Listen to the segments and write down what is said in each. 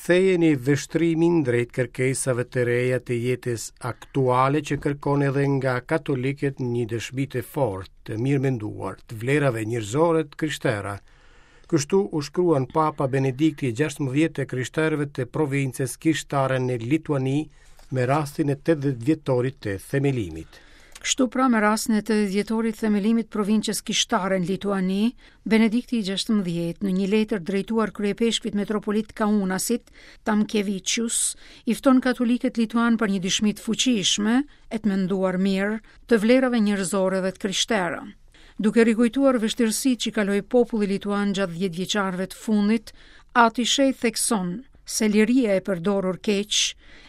Kthejeni vështrimin drejt kërkesave të reja të jetës aktuale që kërkon edhe nga katolikët një dëshmi të fortë, të mirëmenduar, të vlerave njerëzore të krishtera. Kështu u shkruan Papa Benedikti XVI të krishterëve të provincës kishtare në Lituani me rastin e 80 vjetorit të themelimit. Kështu pra me rastin e 80 vjetorit të themelimit provincës kishtare në Lituani, Benedikti i 16 në një letër drejtuar kryeipeshkvit metropolit Kaunasit, Tamkevičius, i fton katolikët lituanë për një dëshmi të fuqishme e të menduar mirë të vlerave njerëzore dhe të krishtera. Duke rikujtuar vështirësitë që kaloi populli lituan gjatë dhjetëvjeçarëve të fundit, Ati i Shenjtë thekson se liria e përdorur keq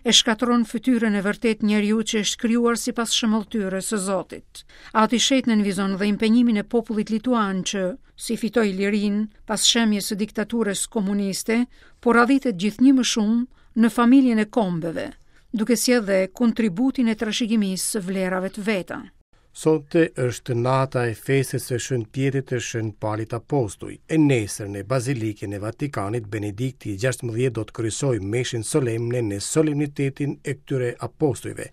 e shkatërron fytyrën e vërtetë të njeriut që është krijuar sipas shëmbëlltyrës së Zotit. Ati i Shenjtë nënvizon dhe impenjimin e popullit lituan që, si fitoi lirinë pas shembjes së diktaturës komuniste, po radhitet gjithnjë më shumë në familjen e kombeve, duke sjellë dhe kontributin e trashëgimisë së vlerave të veta. Sonte është nata e festës së Shën Pjetrit e Shën Palit Apostuj. E nesër në Bazilikën e Vatikanit, Benedikti i 16 do të kryesojë meshën solemne në solemnitetin e këtyre apostujve.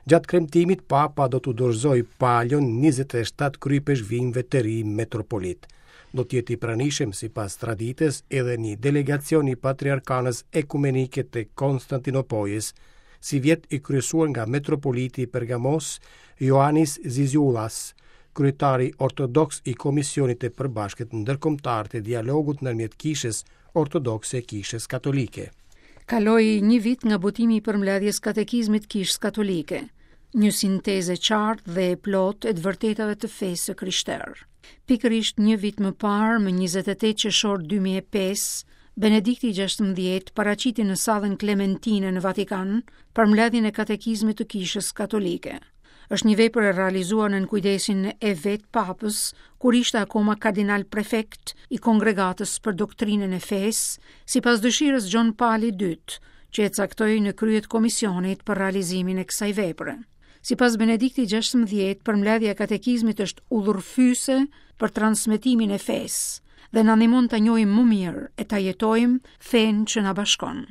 Gjatë kremtimit, Papa do t'u dorëzojë palion 27 kryeipeshkvinjve të ri metropolitë. Do të jetë i pranishëm sipas traditës edhe një delegacion i Patriarkanës Ekumenike të Konstantinopojës, sivjet i kryesuar nga metropoliti i Pergamos, Ioannis Zizioulas, kryetari ortodoks i Komisionit të Përbashkët Ndërkombëtar të Dialogut ndërmjet Kishës Ortodokse e Kishës Katolike. Kaloi një vit nga botimi i përmbledhjes Katekizmit të Kishës Katolike, një sintezë e qartë dhe e plotë e të vërtetave të fesë së krishterë. Pikërisht një vit më parë, më 28 qershor 2005, Benedikti i 16 paraqiti në sallën Klementine në Vatikan përmbledhjen e Katekizmit të Kishës Katolike. Është një vepër e realizuar nën kujdesin e vetë Papës, kur ishte akoma kardinal prefekt i Kongregatës për Doktrinën e Fesë, sipas dëshirës Gjon Pali II, që e caktoi në krye të komisionit për realizimin e kësaj vepre. Sipas Benediktit 16, përmbledhja e katekizmit është udhërrëfyese për transmetimin e fesë dhe na ndihmon ta njohim më mirë e ta jetojmë fenë që na bashkon.